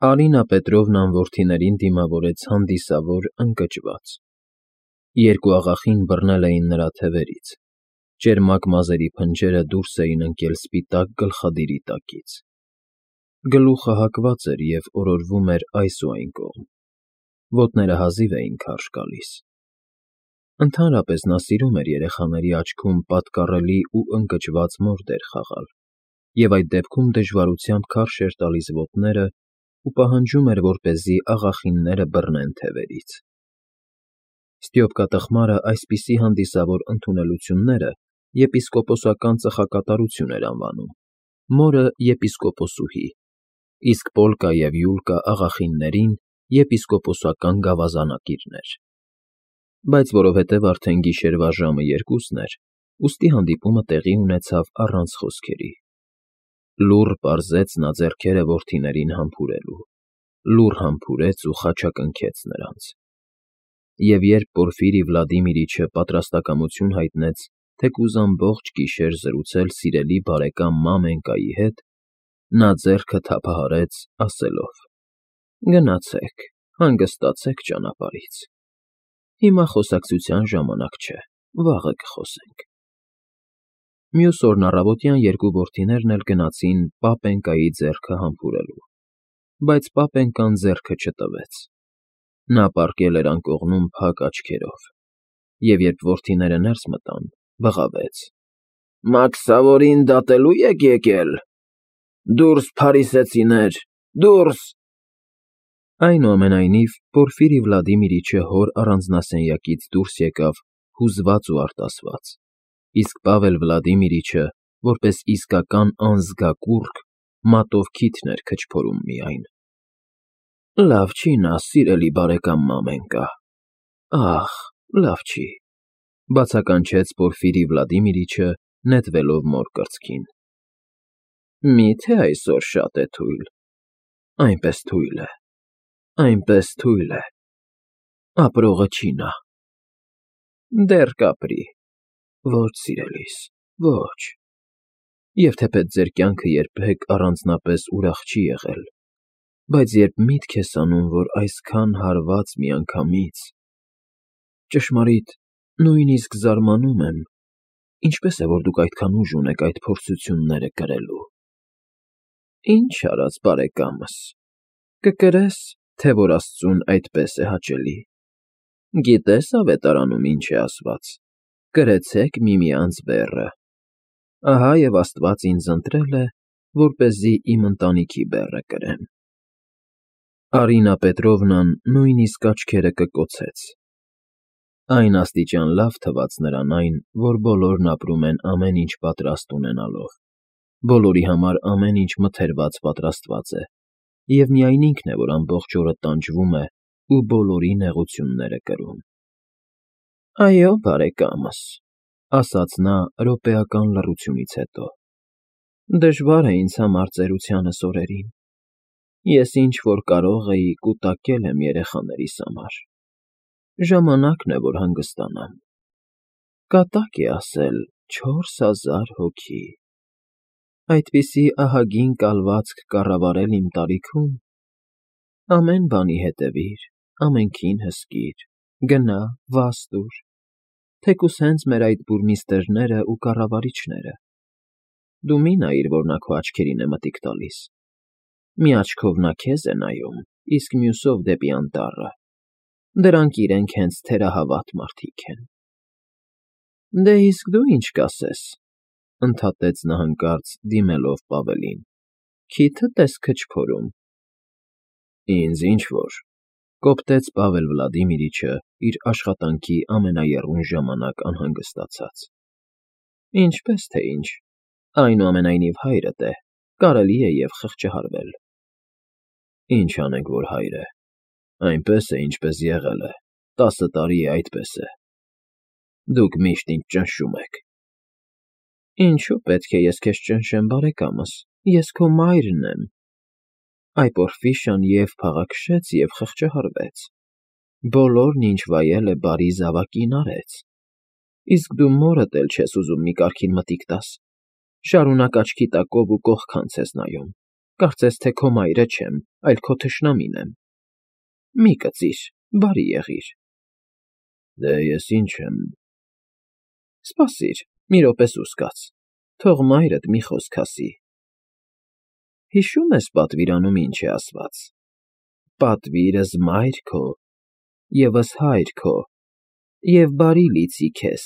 Արինա Պետրովնան որդիներին դիմավորեց հանդիսավոր ընկճված. երկու աղախին բռնել էին նրա թևերից, ճերմակ մազերի փնջերը դուրս էին ընկել սպիտակ գլխադիրի տակից, գլուխը հակված էր և օրորվում էր այս ու այն կողմ, ոտները հազիվ էին քարշ գալիս. ընդհանրապես նա սիրում էր երեխաների աչքում պատկառելի ու ընկճված մորդեր խաղալ և այդ դեպքում դժվարությամբ քարշ էր տալիս ոտները ու պահանջում էր, որպեսզի աղախինները բռնեն թևերից. Ստյոպկա տխմարը այսպիսի հանդիսավոր ընդունելությունները եպիսկոպոսական ծխակատարություն էր անվանում, մորը եպիսկոպոսուհի, իսկ Պոլկա և Յուլկա աղախիններին եպիսկոպոսական գավազանակիրներ, բայց որովհետև արդեն գիշերվա ժամը 2-ն էր, ուստի հանդիպումը տեղի ունեցավ առանց խոսքերի. լուռ պարզեց նա ձեռքերը որդիներին համբուրելու, լուռ համբուրեց ու խաչակնքեց նրանց, և երբ Պորֆիրի Վլադիմիրիչը պատրաստակամություն հայտնեց թեկուզ ամբողջ գիշեր զրուցել սիրելի բարեկամ Մամենկայի հետ, նա ձեռքը թափահարեց, ասելով. «Գնացեք, հանգստացեք ճանապարհից, հիմա խոսակցության ժամանակ չէ, վաղը կխոսենք»։ Մյուս օրն առավոտյան երկու որդիներն էլ գնացին Պապենկայի ձեռքը համբուրելու, բայց Պապենկան ձեռքը չտվեց. նա պառկել էր անկողնում փակ աչքերով, և երբ որդիները ներս մտան, բղավեց. «Մաքսավորին դատելո՞ւ եք եկել, դուրս փարիսեցիներ, դուրս»։ Այնուամենայնիվ, Պորֆիրի Վլադիմիրիչը հոր առանձնասենյակից դուրս եկավ հուզված ու արտասված, իսկ Պավել Վլադիմիրիչը, որպես իսկական անձգակուռք, մատով քիթն էր քչփորում միայն։ «Լավ չի նա, սիրելի բարեկամ Մամենկա, ախ, լավ չի», բացականչեց Պորֆիրի Վլադիմիրիչը, նետվելով մոր կրծքին։ «Մի՞թե այսօր շատ է թույլ, այնպես թույլ է, այնպես թույլ է, ապրողը չի նա»։ «Դեռ կապրի, ոչ, սիրելիս, ոչ, և թեպետ ձեր կյանքը երբեք առանձնապես ուրախ չի եղել, բայց երբ միտք ես անում, որ այսքան հարված միանգամից… Ճշմարիտ, նույնիսկ զարմանում եմ, ինչպես է, որ դուք այդքան ուժ ունեք այդ փորձությունները կրելու։ Ինչ արած, բարեկամս, կկրես, թե որ աստծուն այդպես է հաճելի։ Գիտես ավետարանում ինչ է ասված. «Կրեցեք միմյանց բեռը»։ Ահա և Աստված ինձ ընտրել է, որպեսզի իմ ընտանիքի բեռը կրեմ։ Արինա Պետրովնան նույնիսկ աչքերը կկոցեց. այն աստիճան լավ թվաց նրան այն, որ բոլորն ապրում են ամեն ինչ պատրաստ ունենալով, բոլորի համար ամեն ինչ մթերված պատրաստված է, և միայն ինքն է, որ ամբողջ օրը տանջվում է ու բոլորի նեղությունները կրում։ «Այո, բարեկամս», ասաց նա րոպեական լռությունից հետո, «դժվար է ինձ համար ծերությանս օրերին, ես ինչ֊որ կարող էի կուտակել եմ երեխաներիս համար, ժամանակն է, որ հանգստանամ։ Կատակ է ասել 4000 հոգի… Այդպիսի ահագին կալվածք կառավարել իմ տարիքում… Ամեն բանի հետևիր, ամենքին հսկիր, գնա, վաս տուր, թեկուզ հենց մեր այդ բուրմիստրները ու կառավարիչները… Դու մի նայիր, որ նա քո աչքերին է մտիկ տալիս, մի աչքով նա քեզ է նայում, իսկ մյուսով դեպի անտառը, դրանք իրենք հենց թերահավատ մարդիկ են։ Դե իսկ դու ինչ կասես, ընդհատեց նա հանկարծ, դիմելով Պավելին, քիթդ ես քչփորում։ Ինձ ինչ֊որ, կոպտեց Պավել Վլադիմիրիչը իր աշխատանքի ամենաեռուն ժամանակ անհանգստացած։ Ինչպես թե ինչ, այնուամենայնիվ հայրդ է, կարելի է և խղճահարվել։ Ինչ անենք, որ հայր է, այնպես է, ինչպես եղել է, 10 տարի է այդպես է։ Դուք միշտ ինձ ճնշում եք։ Ինչո՞ւ պետք է ես քեզ ճնշեմ, բարեկամս, ես քո մայրն եմ։ Այ Պորֆիշան և փաղաքշեց, և խղճահարվեց, բոլորն, ինչ վայել է, բարի զավակին արեց, իսկ դու մորդ էլ չես ուզում մի կարգին մտիկ տաս, շարունակ աչքի տակով ու կողքանց ես նայում, կարծես թե քո մայրը չեմ, այլ քո թշնամին եմ։ Մի կծիր, բարի եղիր։ Դե ես ինչ եմ։ Սպասիր, մի րոպե սուս կաց, թող մայրդ մի խոսք ասի։ Հիշո՞ւմ ես պատվիրանում ինչ է ասված. «Պատվիրս մայր քո, ևս հայր քո, և բարի լիցի քեզ»։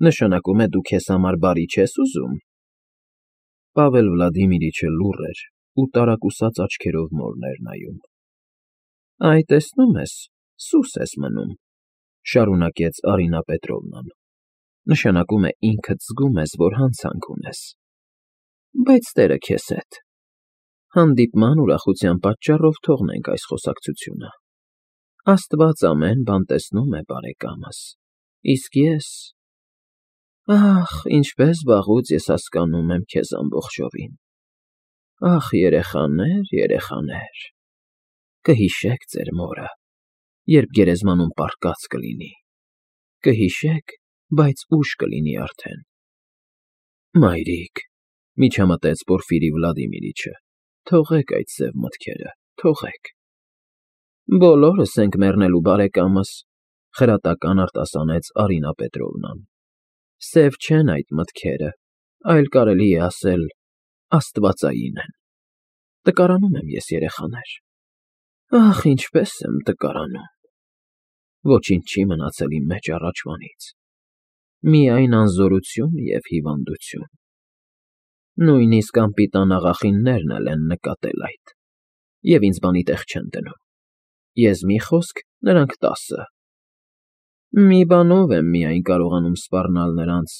Նշանակում է դու քեզ համար բարի չես ուզում։ Պավել Վլադիմիրիչը լուռ էր ու տարակուսած աչքերով մորն էր նայում։ Այ տեսնում ես, սուս ես մնում, շարունակեց Արինա Պետրովնան։ Նշանակում է ինքդ զգում ես, որ հանցանք ունես։ Բայց տերը քեզ հետ։ Հանդիպման ուրախության պատճառով թողնենք այս խոսակցությունը։ Աստված ամեն բան տեսնում է, բարեկամս, իսկ ես… Ախ, ինչպես վաղուց ես հասկանում եմ քեզ ամբողջովին։ Ախ, երեխաներ, երեխաներ… Կհիշեք ձեր մորը, երբ գերեզմանում պառկած կլինի։ Կհիշեք, բայց ուշ կլինի արդեն։ Մայրիկ, միջամտեց Պորֆիրի Վլադիմիրիչը, թողեք այդ սև մտքերը, թողեք։ Բոլորս ենք մեռնելու, բարեկամս, խրատական արտասանեց Արինա Պետրովնան։ Սև չեն այդ մտքերը, այլ կարելի է ասել աստվածային են։ Տկարանում եմ ես, երեխաներ։ Ախ, ինչպես եմ տկարանում։ Ոչինչ չի մնացել իմ մեջ առաջվանից։ Միայն անզորություն և հիվանդություն։ Նույնիսկ անպիտան աղախիններն էլ են նկատել այդ, և ինձ բանի տեղ չեն դնում։ Ես մի խոսք, նրանք 10։ Մի բանով եմ միայն կարողանում սպառնալ նրանց,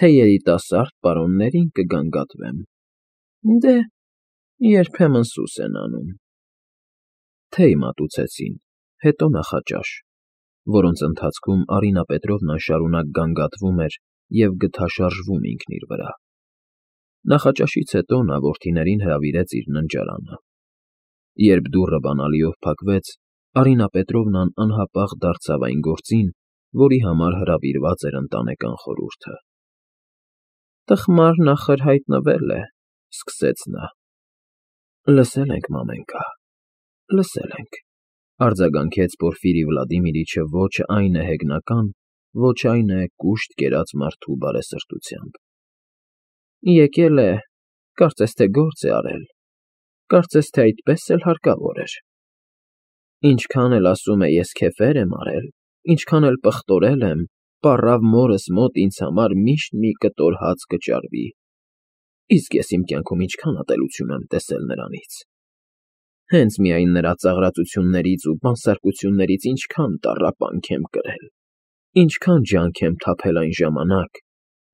թե երիտասարդ պարոններին կգանգատվեմ։ Դե, երբեմն սուս են անում։ Թեյ մատուցեցին, հետո նախաճաշ, որոնց ընթացքում Արինա Պետրովնան շարունակ գանգատվում էր և գթաշարժվում ինքն իր վրա։ Նախաճաշից հետո նա որդիներին հրավիրեց իր ննջարանը։ Երբ դուռը բանալիով փակվեց, Արինա Պետրովնան անհապաղ դարձավ այն գործին, որի համար հրավիրված էր ընտանեկան խորհուրդը։ Տխմարն ախր հայտնվել է, սկսեց նա։ Լսել ենք, մամենկա, լսել ենք, արձագանքեց Պորֆիրի Վլադիմիրիչը ոչ այն է հեգնական, ոչ այն է կուշտ կերած մարդու բարեսրտությամբ։ Եկել է, կարծես թե գործ է արել, կարծես թե այդպես էլ հարկավոր էր։ Ինչքան էլ ասում է ես քեֆեր եմ արել, ինչքան էլ պղտորել եմ, պառավ մորս մոտ ինձ համար միշտ մի կտոր հաց կճարվի, իսկ ես իմ կյանքում ինչքան ատելություն եմ տեսել նրանից։ Հենց միայն նրա ծաղրածություններից ու բանսարկություններից ինչքան տառապանք եմ կրել, ինչքան ջանք եմ թափել այն ժամանակ,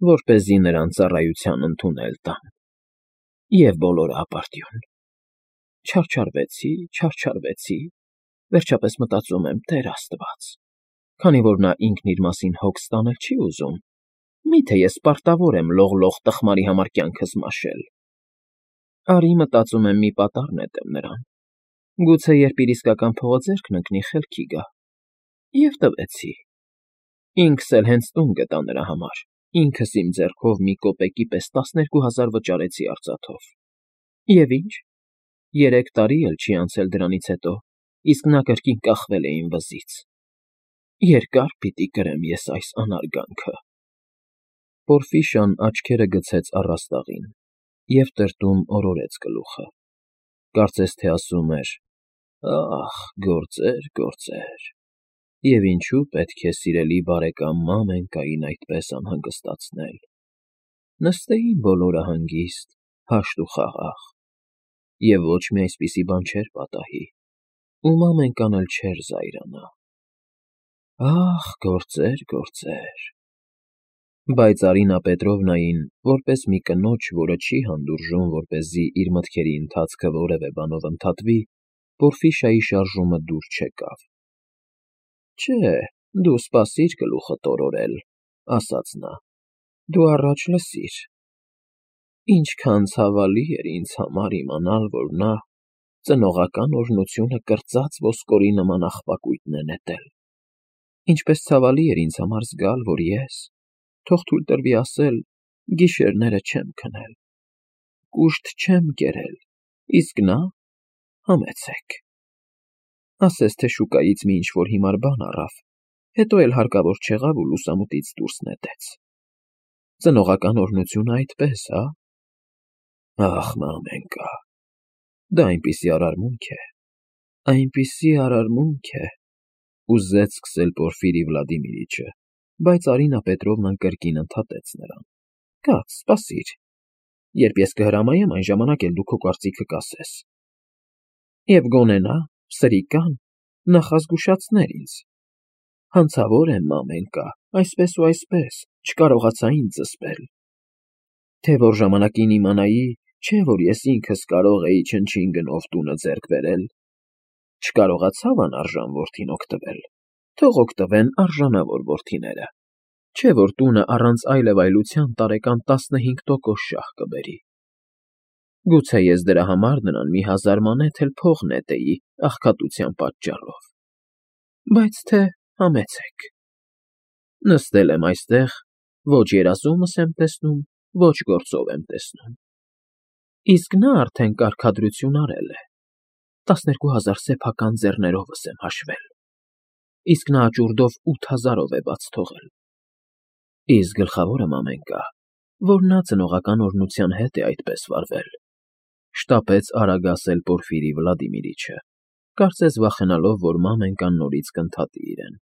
որպեսզի նրան ծառայության ընդունել տամ։ Եվ բոլորը ապարդյուն։ Չարչարվեցի, վերջապես մտածում եմ, Տեր Աստված, քանի որ նա ինքն իր մասին հոգ ստանել չի ուզում, միթե ես պարտավոր եմ լող տխմարի համար կյանքս մաշել։ Արի, մտածում եմ, մի պատառ նետեմ նրան։ Գուցե երբ իր իսկական փողը ձեռքն ընկնի, խելքի գա։ Եվ տվեցի։ Ինքս էլ հենց տուն գտա նրա համար, ինքս իմ ձեռքով մի կոպեկի պես 12,000 վճարեցի արծաթով։ Եվ ինչ, 3 տարի էլ չի անցել դրանից հետո, իսկ նա կրկին կախվել է իմ վզից։ Երկար պիտի կրեմ ես այս անարգանքը։ Պորֆիշան աչքերը գցեց առաստաղին և տրտում օրորեց գլուխը։ Կարծես թե ասում էր. «Ախ, գործեր, գործեր, և ինչու պետք է սիրելի բարեկամ մամենկային այդպես անհանգստացնել։ Նստեին բոլորը հանգիստ, հաշտ ու խաղաղ, և ոչ մի այսպիսի բան չէր պատահի, ու մամենկան էլ չէր զայրանա։ Ախ, գործեր, գործեր»։ Բայց Արինա Պետրովնային, որպես մի կնոջ, որը չի հանդուրժում, որպեսզի իր մտքերի ընթացքը որևէ բանով ընդհատվի, Պորֆիշայի շարժումը դուր չեկավ։ Չէ, դու սպասիր գլուխդ օրորել, ասաց նա, դու առաջ լսիր։ Ինչքան ցավալի էր ինձ համար իմանալ, որ նա ծնողական օրհնությունը կրծած ոսկորի նման աղբակույտն է նետել։ Ինչպես ցավալի էր ինձ համար զգալ, որ ես, թող թույլ տրվի ասել, գիշերները չեմ քնել, կուշտ չեմ կերել, իսկ նա Համեցեք։ Ասես թե շուկայից մի ինչ-որ հիմար բան առավ, հետո էլ հարկավոր չեղավ ու լուսամուտից դուրս նետեց։ Ծնողական օրհնությունը այդպես, հա՞։ Ախ, մամենկա, դա այնպիսի արարմունք է, ուզեց սկսել Պորֆիրի Վլադիմիրիչը, բայց Արինա Պետրովնան կրկին ընդհատեց նրան. Կաց, սպասիր, երբ ես կհրամայեմ, այն ժամանակ էլ դու քո կարծիքը կասես։ Եվ գոնե նա, սրիկան, նախազգուշացներ ինձ. հանցավոր եմ, մամենկա, այսպես ու այսպես, չկարողացա ինձ զսպել։ Թե որ ժամանակին իմանայի, չէ որ ես ինքս կարող էի չնչին գնով տունը ձեռք բերել։ Չկարողացավ անարժան որդին օգտվել, թող օգտվեն արժանավոր որդիները, չէ որ տունը առանց այլևայլության տարեկան 15% շահ կբերի։ Գուցե ես դրա համար նրան մի 1000 մանեթ էլ փող նետեի աղքատության պատճառով։ Բայց թե համեցեք։ Նստել եմ այստեղ, ոչ երազումս եմ տեսնում, ոչ գործով եմ տեսնում։ Իսկ նա արդեն կարգադրություն արել է, 12000 սեփական ձեռներովս եմ հաշվել, իսկ նա աճուրդով 8000-ով է բաց թողել։ Իսկ գլխավորը, մամենկա, որ նա ծնողական օրհնության հետ է այդպես վարվել, շտապեց արագ ասել Պորֆիրի Վլադիմիրիչը, կարծես վախենալով, որ մամենկան նորից կընդհատի իրեն։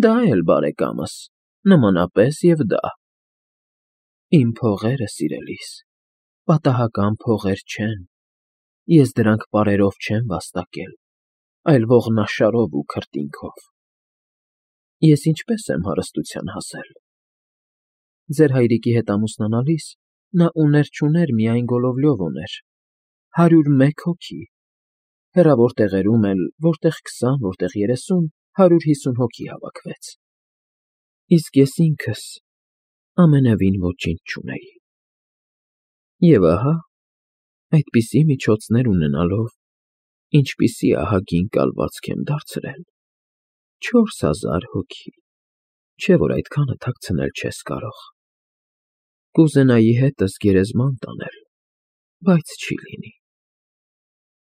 Դա էլ բարեկամս, նմանապես եւ դա։ Իմ փողերը, սիրելիս, պատահական փողեր չեն, ես դրանք պարերով չեմ վաստակել, այլ ողնաշարով ու քրտինքով։ Ես ինչպես եմ հարստության հասել։ Ձեր հայրիկի հետ ամուսնանալիս նա ուներ-չուներ միայն Գոլովլյով ուներ, 101 հոգի, հեռավոր տեղերում էլ, որտեղ 20, որտեղ 30, 150 հոգի հավաքվեց։ Իսկ ես ինքս ամենևին ոչինչ չունեի։ Եվ ահա, այդպիսի միջոցներ ունենալով, ինչպիսի ահագին կալվածք եմ դարձրել։ 4000 հոգի, չէ որ այդքանը թաքցնել չես կարող։ Կուզենայի հետս գերեզման տանել, բայց չի լինի։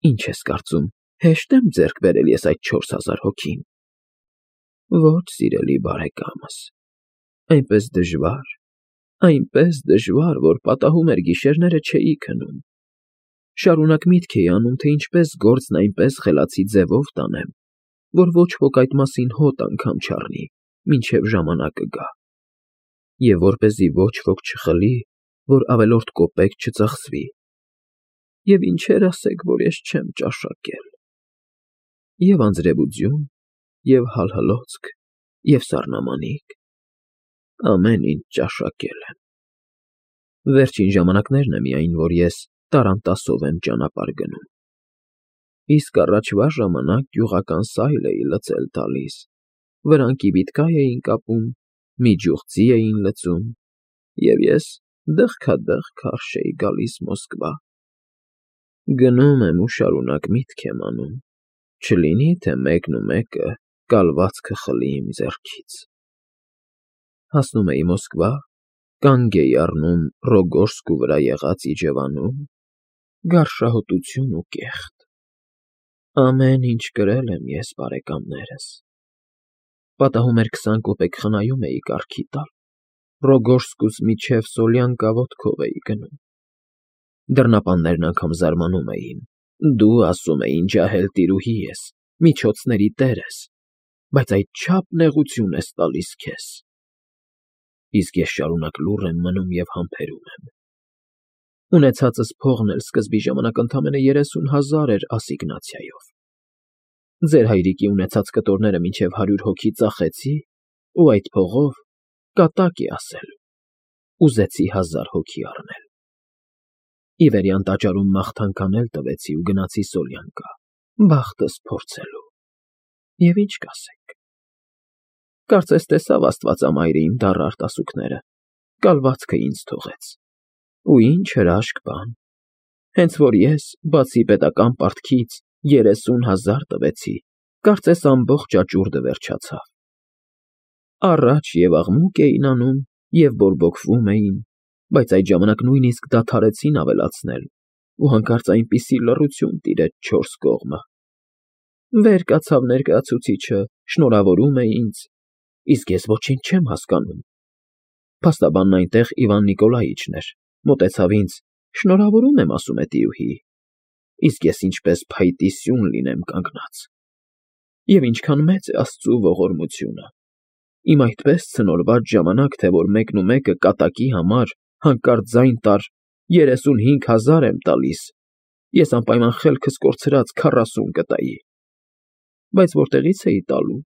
Ինչ ես կարծում, հեշտ եմ ձեռք բերել ես այդ 4000 հոգին։ Ոչ, սիրելի բարեկամս, այնպես դժվար, որ պատահում էր գիշերները չէի քնում։ Շարունակ միտք էի անում, թե ինչպես գործն այնպես խելացի ձևով տանեմ, որ ոչ ոք այդ մասին հոտ անգամ չառնի, մինչև ժամանակը գա։ Եվ որպեսզի ոչ ոք չխլի, որ ավելորդ կոպեկ չծախսվի։ Եվ ինչեր ասեք, որ ես չեմ ճաշակել։ Եվ անձրևուձյուն, և հալհլոցք, և սառնամանիք, ամեն ինչ ճաշակել եմ։ Վերջին ժամանակներն է միայն, որ ես տառանտասով եմ ճանապարհ գնում։ Իսկ առաջվա ժամանակ գյուղական սայլ էի լցել տալիս, վրանքի վիտկայ էին կապում, մի ջուղձի էին լցում, և ես դղքադղք քարշ էի գալիս Մոսկվա։ Գնում եմ ու շարունակ միտք եմ անում, չլինի թե մեկն ու մեկը կալվածքը խլի իմ ձեռքից։ Հասնում էի Մոսկվա, կանգ էի առնում Ռոգոժսկու վրա եղած իջևանում, գարշահոտություն ու կեղտ։ Ամեն ինչ կրել եմ ես, բարեկամներս։ Պատահում էր 20 կոպեկ խնայում էի կարգի տալ, Ռոգոժսկուց մինչև Սոլյանկա ոտքով էի գնում։ Դռնապաններն անգամ զարմանում էին. դու, ասում էին, ջահել տիրուհի ես, միջոցների տեր ես, բայց այդչափ նեղություն ես տալիս քեզ։ Իսկ ես շարունակ լուռ եմ մնում և համբերում եմ։ Ունեցածս փողն էլ սկզբի ժամանակ ընդամենը 30,000 էր ասիգնացիայով։ Ձեր հայրիկի ունեցած կտորները մինչև 100 հոգի ծախեցի, ու այդ փողով, կատակ է ասել, ուզեցի 1000 հոգի առնել։ Ի վերյան տաճարում մաղթանք անել տվեցի ու գնացի Սոլյանկա, բախտս փորձելու։ Եվ ինչ կասեք։ Կարծես տեսավ Աստվածամայրը իմ դառը արտասուքները, կալվածքը ինձ թողեց։ Ու ինչ հրաշք բան։ Հենց որ ես, բացի պետական պարտքից, 30,000 տվեցի, կարծես ամբողջ աճուրդը վերջացավ։ Առաջ և աղմուկ էին անում, և բորբոքվում էին, բայց այդ ժամանակ նույնիսկ դադարեցին ավելացնել, ու հանկարծ այնպիսի լռություն տիրեց չորս կողմը։ Վեր կացավ ներկայացուցիչը, շնորհավորում է ինձ, իսկ ես ոչինչ չեմ հասկանում։ Փաստաբանն այնտեղ Իվան Նիկոլաիչն էր, մոտեցավ ինձ, շնորհավորում եմ, ասում է տիրուհի, իսկ ես ինչպես փայտի սյուն լինեմ կանգնած։ Եվ ինչքան մեծ է Աստծու ողորմությունը։ Իմ այդպես ցնորված ժամանակ, թե որ մեկնումեկը կատակի համար հանկարծ ձայն տար 35,000 եմ տալիս, ես անպայման խելքս կորցրած 40 կտայի։ Բայց որտեղի՞ց էի տալու։